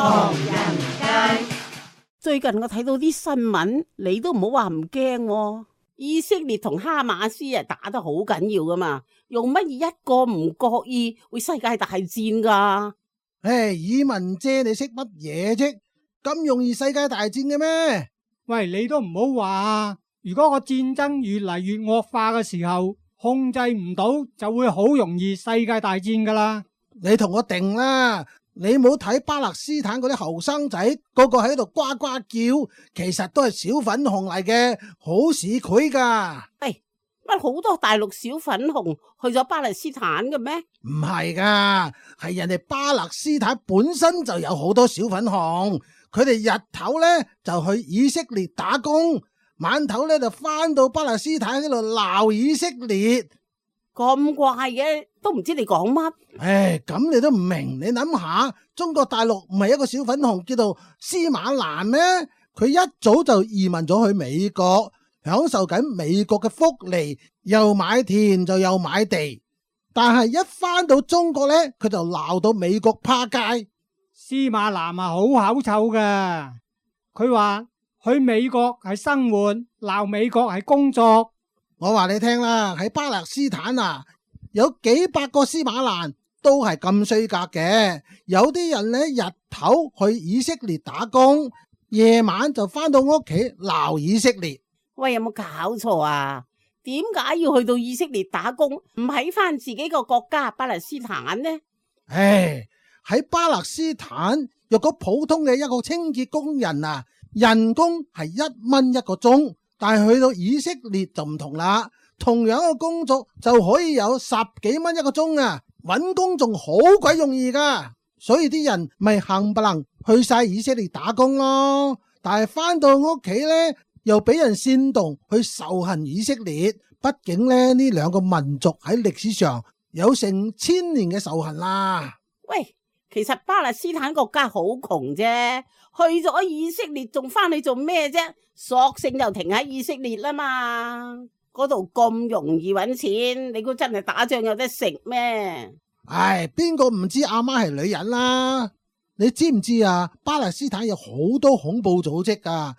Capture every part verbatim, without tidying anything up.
唐人街。最近我睇到啲新聞，你都唔好話唔驚喎。以色列同哈馬斯啊打得好緊要噶嘛，用乜嘢一個唔覺意會世界大戰噶？唉，以文姐你識乜嘢啫？咁容易世界大戰嘅咩？喂，你都唔好話，如果個戰爭越嚟越惡化嘅時候，控制唔到就會好容易世界大戰噶啦。你同我定啦，你冇睇巴勒斯坦嗰啲後生仔個個喺度呱呱叫，其實都係小粉紅嚟嘅，好市儈噶。喂，乜好多大陸小粉紅去咗巴勒斯坦嘅咩？唔係噶，係人哋巴勒斯坦本身就有好多小粉紅，佢哋日頭呢就去以色列打工，晚頭呢就翻到巴勒斯坦喺度鬧以色列。咁怪嘅，都唔知你講乜。唉，咁你都唔明，你諗下，中國大陸唔係一個小粉紅叫做司馬蘭咩？佢一早就移民咗去美國，享受緊美國嘅福利，又買田就又買地。但係一翻到中國呢，佢就鬧到美國趴街。司馬南啊，好口臭噶，佢話去美國係生活，鬧美國係工作。我話你聽啦，喺巴勒斯坦啊，有幾百個司馬蘭都係咁衰格嘅。有啲人呢，日頭去以色列打工，夜晚就翻到屋企鬧以色列。喂，有冇搞錯啊？點解要去到以色列打工，唔喺翻自己個國家巴勒斯坦呢？唉，喺巴勒斯坦，若果普通嘅一個清潔工人啊，人工係一蚊一個鐘。但係去到以色列就唔同啦，同樣嘅工作就可以有十幾蚊一個鐘啊，搵工仲好鬼容易噶，所以啲人咪冚唪唥去晒以色列打工咯。但係翻到屋企呢，又俾人煽動去仇恨以色列，畢竟咧呢兩個民族喺歷史上有成千年嘅仇恨啦。喂，其實巴勒斯坦國家好窮啫，去咗以色列仲翻去做咩啫？索性就停喺以色列啦嘛，嗰度咁容易搵錢，你估真係打仗有得食咩？唉，邊個唔知阿媽係女人啦？你知唔知啊？巴勒斯坦有好多恐怖組織噶，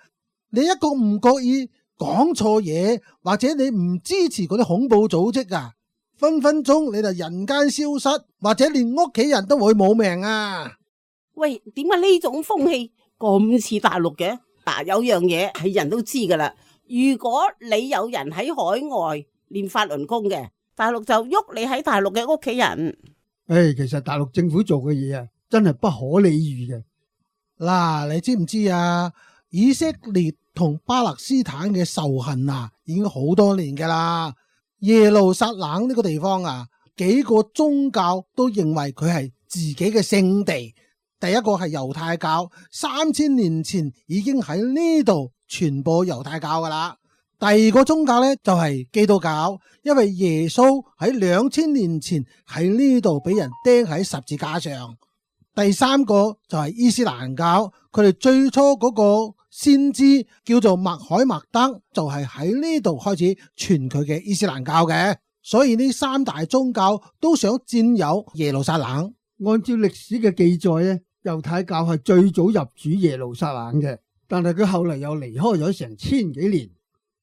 你一個唔覺意講錯嘢，或者你唔支持嗰啲恐怖組織啊，分分鐘你就人間消失，或者連屋企人都會冇命啊！喂，點解呢種風氣咁似大陸嘅？嗱，有樣嘢係人都知噶啦，如果你有人喺海外練法輪功嘅，大陸就喐你喺大陸嘅屋企人。誒，其實大陸政府做嘅嘢啊，真係不可理喻嘅。嗱，你知唔知啊？以色列同巴勒斯坦嘅仇恨啊，已經好多年噶啦。耶路撒冷呢個地方啊，幾個宗教都認為佢係自己嘅聖地。第一個係猶太教，三千年前已經喺呢度傳播猶太教噶啦。第二個宗教呢，就係基督教，因為耶穌喺兩千年前喺呢度俾人釘喺十字架上。第三個就係伊斯蘭教，佢哋最初嗰個先知叫做麥海默德，就係喺呢度開始傳佢嘅伊斯蘭教嘅。所以呢三大宗教都想佔有耶路撒冷。按照歷史嘅記載咧，猶太教係最早入主耶路撒冷嘅，但係佢後嚟又離開咗成千幾年，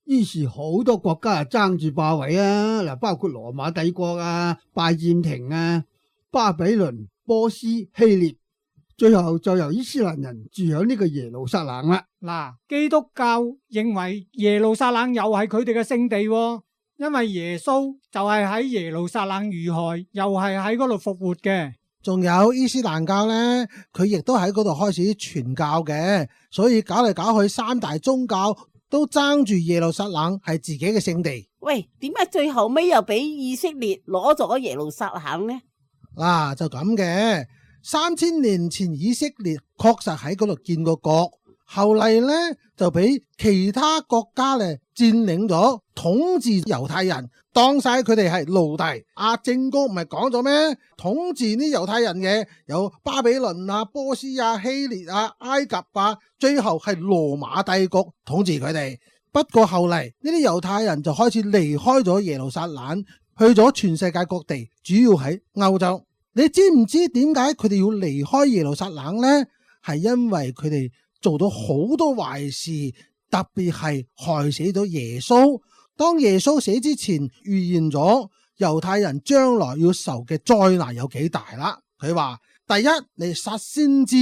於是好多國家啊爭住霸位啊，嗱，包括羅馬帝國啊、拜占庭啊、巴比倫、波斯、希臘，最後就由伊斯蘭人住響呢個耶路撒冷啦。嗱，基督教認為耶路撒冷又係佢哋嘅聖地喎，因為耶穌就係喺耶路撒冷遇害，又係喺嗰度復活嘅。仲有伊斯蘭教呢，佢亦都喺嗰度開始傳教嘅，所以搞嚟搞去，三大宗教都爭住耶路撒冷係自己嘅聖地。喂，點解最後尾又俾以色列攞咗耶路撒冷呢？嗱、啊，就咁嘅，三千年前以色列確實喺嗰度建過國，後嚟呢就俾其他國家咧佔領咗，統治猶太人，當晒佢哋係奴隸。阿正哥唔係講咗咩？統治啲猶太人嘅有巴比倫啊、波斯啊、希臘啊、埃及啊，最後係羅馬帝國統治佢哋。不過後嚟呢啲猶太人就開始離開咗耶路撒冷，去咗全世界各地，主要喺歐洲。你知唔知點解佢哋要離開耶路撒冷呢？係因為佢哋做到好多壞事，特別係害死咗耶穌。當耶穌死之前預言咗猶太人將來要受嘅災難有幾大啦。佢話第一，你殺先知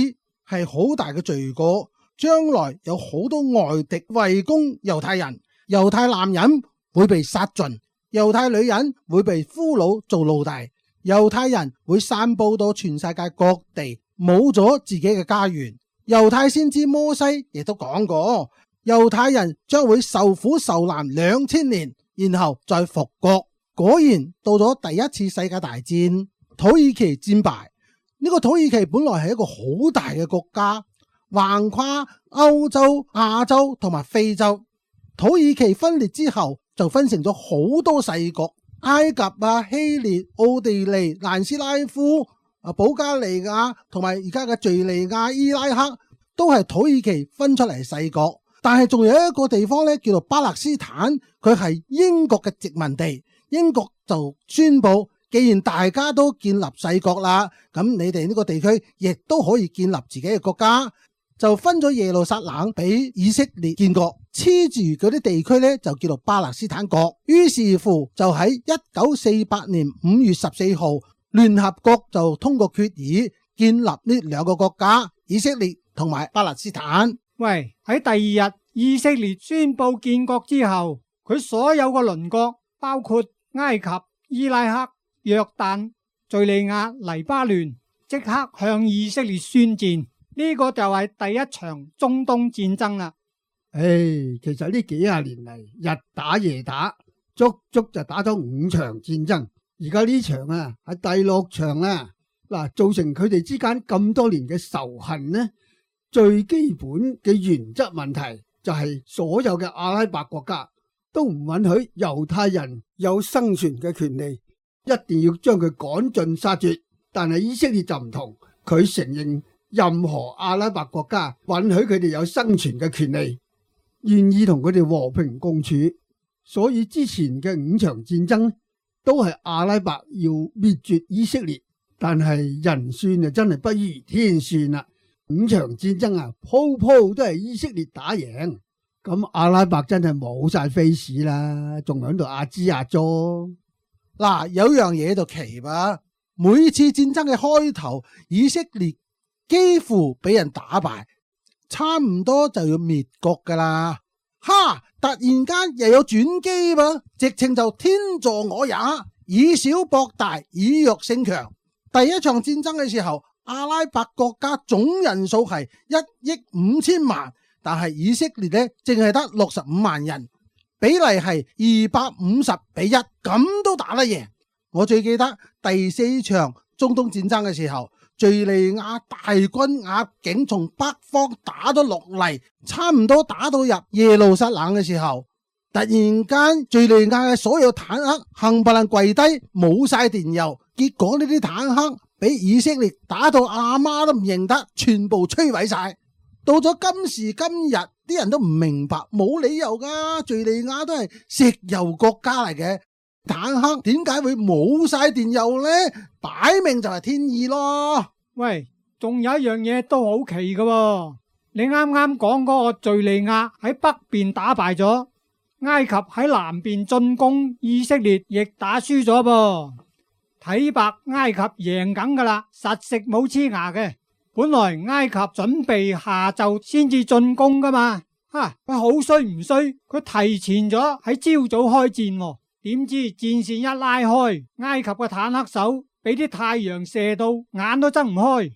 係好大嘅罪過，將來有好多外敵圍攻猶太人，猶太男人會被殺盡，猶太女人會被俘虜做奴隸，猶太人會散布到全世界各地，冇咗自己嘅家園。猶太先知摩西亦都講過，猶太人將會受苦受難兩千年，然後再復國。果然到咗第一次世界大戰，土耳其戰敗。呢個土耳其本來係一個好大嘅國家，橫跨歐洲、亞洲同埋非洲。土耳其分裂之後就分成咗好多細國，埃及啊、希臘、奧地利、南斯拉夫、啊保加利亞同埋而家嘅敘利亞、伊拉克都係土耳其分出嚟細國。但係仲有一個地方咧，叫做巴勒斯坦，佢係英國嘅殖民地。英國就宣布，既然大家都建立細國啦，咁你哋呢個地區亦都可以建立自己嘅國家，就分咗耶路撒冷俾以色列建國，黐住嗰啲地區咧就叫做巴勒斯坦國。於是乎就喺一九四八年五月十四號，聯合國就通過決議建立呢兩個國家，以色列同埋巴勒斯坦。喂，喺第二日以色列宣布建國之後，佢所有嘅鄰國包括埃及、伊拉克、約旦、敘利亞、黎巴嫩，即刻向以色列宣戰。呢個就係第一場中東戰爭啦。唉，其實呢幾廿年嚟，日打夜打，足足就打咗五場戰爭。而家呢場啊係第六場啦。嗱，造成佢哋之間咁多年嘅仇恨呢，最基本嘅原則問題就係所有嘅阿拉伯國家都唔允許猶太人有生存嘅權利，一定要將佢趕盡殺絕。但係以色列就唔同，佢承認任何阿拉伯國家允許佢哋有生存嘅權利，願意同佢哋和平共處。所以之前嘅五場戰爭都係阿拉伯要滅絕以色列，但係人算就真係不如天算啦。五場戰爭啊，鋪鋪都係以色列打贏，咁阿拉伯真係冇晒 face 啦，仲喺度壓支壓咗。嗱，有樣嘢就奇吧，每次戰爭嘅開頭，以色列幾乎俾人打敗，差唔多就要滅國噶啦。哈！突然間又有轉機噃，直情就天助我也，以小博大，以弱勝強。第一場戰爭嘅時候，阿拉伯國家總人數係一億五千萬，但係以色列呢淨係得六十五萬人，比例係二百五十比一，咁都打得贏。我最記得第四場中東戰爭嘅時候，敘利亞大軍壓境從北方打咗落嚟，差唔多打到入耶路撒冷嘅時候，突然間敘利亞嘅所有坦克冚唪唥跪低，冇晒電油，結果呢啲坦克俾以色列打到阿媽都唔認得，全部摧毀晒。到咗今時今日，啲人都唔明白，冇理由噶，敘利亞都係石油國家嚟嘅，坦克點解會冇晒電油呢？擺明就係天意咯。喂，仲有一樣嘢都好奇噶喎，你啱啱講嗰個敘利亞喺北邊打敗咗，埃及喺南邊進攻以色列，亦打輸咗噃。睇白埃及贏緊噶啦，實食冇黐牙嘅。本來埃及準備下晝先至進攻噶嘛，吓佢好衰唔衰？佢提前咗喺朝早開戰喎，點知戰線一拉開，埃及嘅坦克手俾啲太陽射到眼都睜唔開，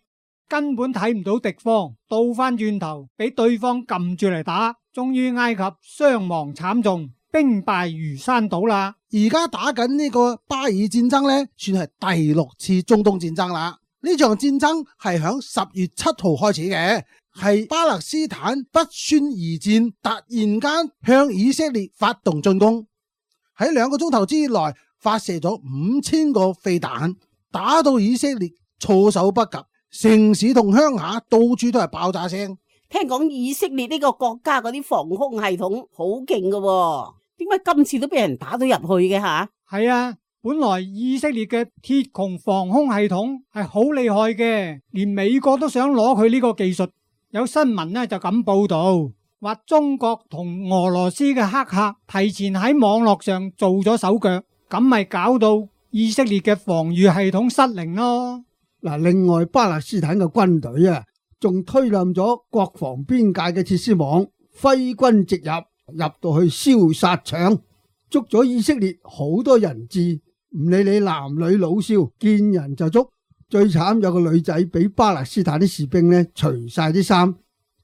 根本睇唔到敵方，倒翻轉頭俾對方撳住嚟打，終於埃及傷亡慘重，兵敗如山倒啦。而家打緊呢個巴爾戰爭呢，算係第六次中東戰爭啦。呢場戰爭係響十月七號開始嘅，係巴勒斯坦不宣而戰，突然間向以色列發動進攻，喺兩個鐘頭之內發射咗五千個飛彈，打到以色列措手不及，城市同鄉下到處都係爆炸聲。聽講以色列呢個國家嗰啲防空系統好勁㗎喎，點解今次都俾人打到入去嘅吓？係啊，本來以色列嘅鐵穹防空系統係好厲害嘅，連美國都想攞佢呢個技術。有新聞呢就咁報道，話中國同俄羅斯嘅黑客提前喺網絡上做咗手腳，咁咪搞到以色列嘅防禦系統失靈咯。嗱，另外巴勒斯坦嘅軍隊啊，仲推冧咗國防邊界嘅鐵絲網，揮軍直入，入到去燒殺搶，捉咗以色列好多人質。唔理你男女老少，見人就捉。最慘有個女仔俾巴勒斯坦啲士兵呢除晒啲衫，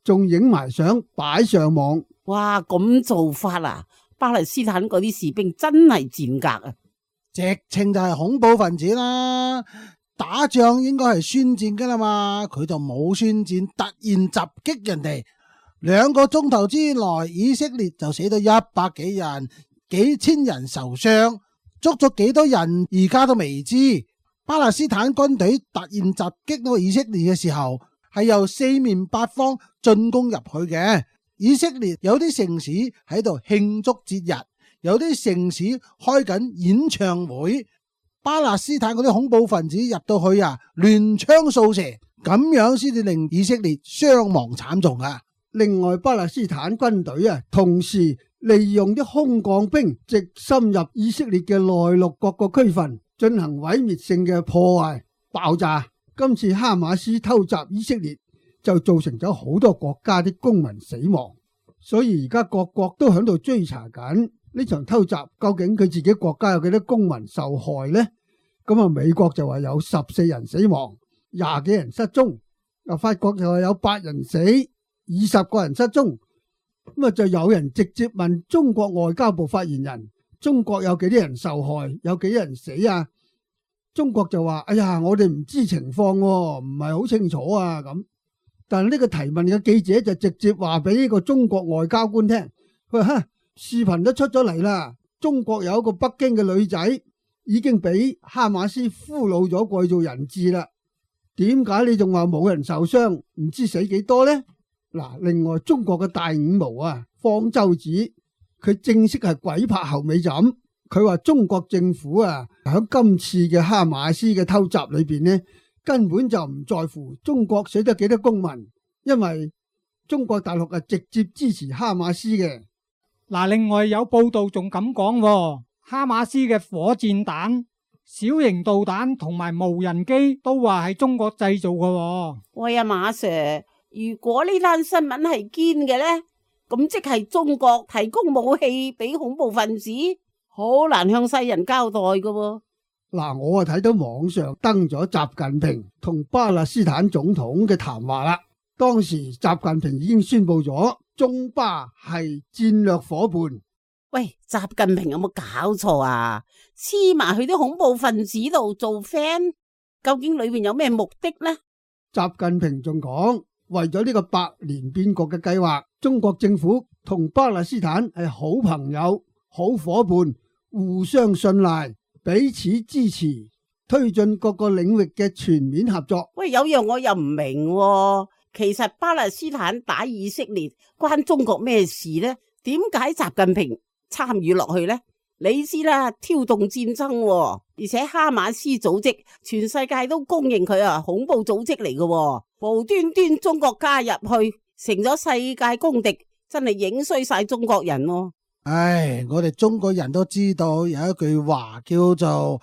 仲影埋相擺上網。哇，咁做法啊！巴勒斯坦嗰啲士兵真係賤格啊！直情就係恐怖分子啦！打仗應該係宣戰噶啦嘛，佢就冇宣戰，突然襲擊人哋，兩個鐘頭之內，以色列就死到一百幾人，幾千人受傷。捉咗幾多人而家都未知。巴勒斯坦軍隊突然襲擊到以色列嘅時候，係由四面八方進攻入去嘅。以色列有啲城市喺度慶祝節日，有啲城市開緊演唱會。巴勒斯坦嗰啲恐怖分子入到去啊，亂槍掃射，咁樣先至令以色列傷亡慘重啊！另外，巴勒斯坦軍隊啊，同時利用啲空降兵直深入以色列嘅內陸各個區份，進行毀滅性嘅破壞爆炸。今次哈馬斯偷襲以色列，就造成咗好多國家啲公民死亡。所以而家各國都喺度追查緊呢場偷襲，究竟佢自己國家有幾多公民受害呢？咁啊，美國就話有十四人死亡，廿幾人失蹤。啊，法國就話有八人死，二十個人失蹤。咁啊，就有人直接問中國外交部發言人：中國有幾多人受害，有幾多人死啊？中國就話：哎呀，我哋唔知情況，唔係好清楚啊。咁，但係呢個提問嘅記者就直接話俾呢個中國外交官聽：佢話，哈，視頻都出咗嚟啦，中國有一個北京嘅女仔已經俾哈馬斯俘虜咗過去做人質啦。點解你仲話冇人受傷，唔知死幾多呢？嗱，另外中國嘅大五毛啊，方舟子，佢正式係鬼拍後尾枕。佢話中國政府啊，喺今次嘅哈馬斯嘅偷襲裏邊呢，根本就唔在乎中國死得幾多公民，因為中國大陸係直接支持哈馬斯嘅。嗱，另外有報道仲咁講，哈馬斯嘅火箭彈、小型導彈同埋無人機都話係中國製造嘅。喂啊，馬 Sir，如果呢單新聞係堅嘅呢，咁即係中國提供武器俾恐怖分子，好難向世人交代㗎喎。嗱，我啊睇到網上登咗習近平同巴勒斯坦總統嘅談話啦。當時習近平已經宣布咗中巴係戰略夥伴。喂，習近平有冇搞錯啊？黐埋去啲恐怖分子度做 friend，究竟裏面有咩目的呢？習近平仲講，為咗呢個百年變局嘅計劃，中國政府同巴勒斯坦係好朋友、好夥伴，互相信賴，彼此支持，推進各個領域嘅全面合作。喂，有樣我又唔明喎，其實巴勒斯坦打以色列關中國咩事呢？點解習近平參與落去呢？你知啦，挑動戰爭喎，而且哈馬斯組織全世界都公認佢啊恐怖組織嚟嘅，無端端中國加入去，成咗世界公敵，真係影衰晒中國人喎。唉，我哋中國人都知道有一句話叫做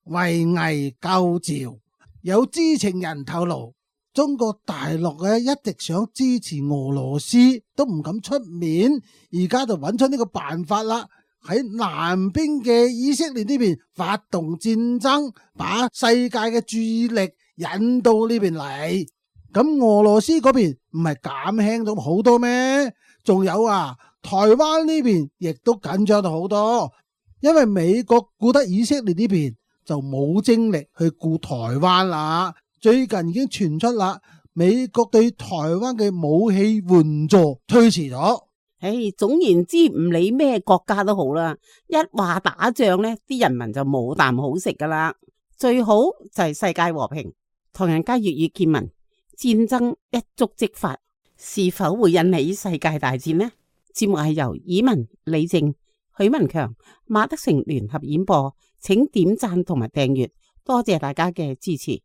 圍魏救趙。有知情人透露，中國大陸咧一直想支持俄羅斯，都唔敢出面，而家就揾出呢個辦法啦。喺南邊嘅以色列呢邊發動戰爭，把世界嘅注意力引到呢邊嚟。咁俄羅斯嗰邊唔係減輕咗好多咩？仲有啊，台灣呢邊亦都緊張到好多，因為美國顧得以色列呢邊，就冇精力去顧台灣啦。最近已經傳出啦，美國對台灣嘅武器援助推遲咗。唉，總言之，唔理咩國家都好啦，一話打仗呢，啲人民就冇啖好食噶啦。最好就係世界和平。唐人街粵語見聞，戰爭一觸即發，是否會引起世界大戰呢？節目係由以文、李靜、許文強、馬德成聯合演播，請點讚同埋訂閱，多謝大家嘅支持。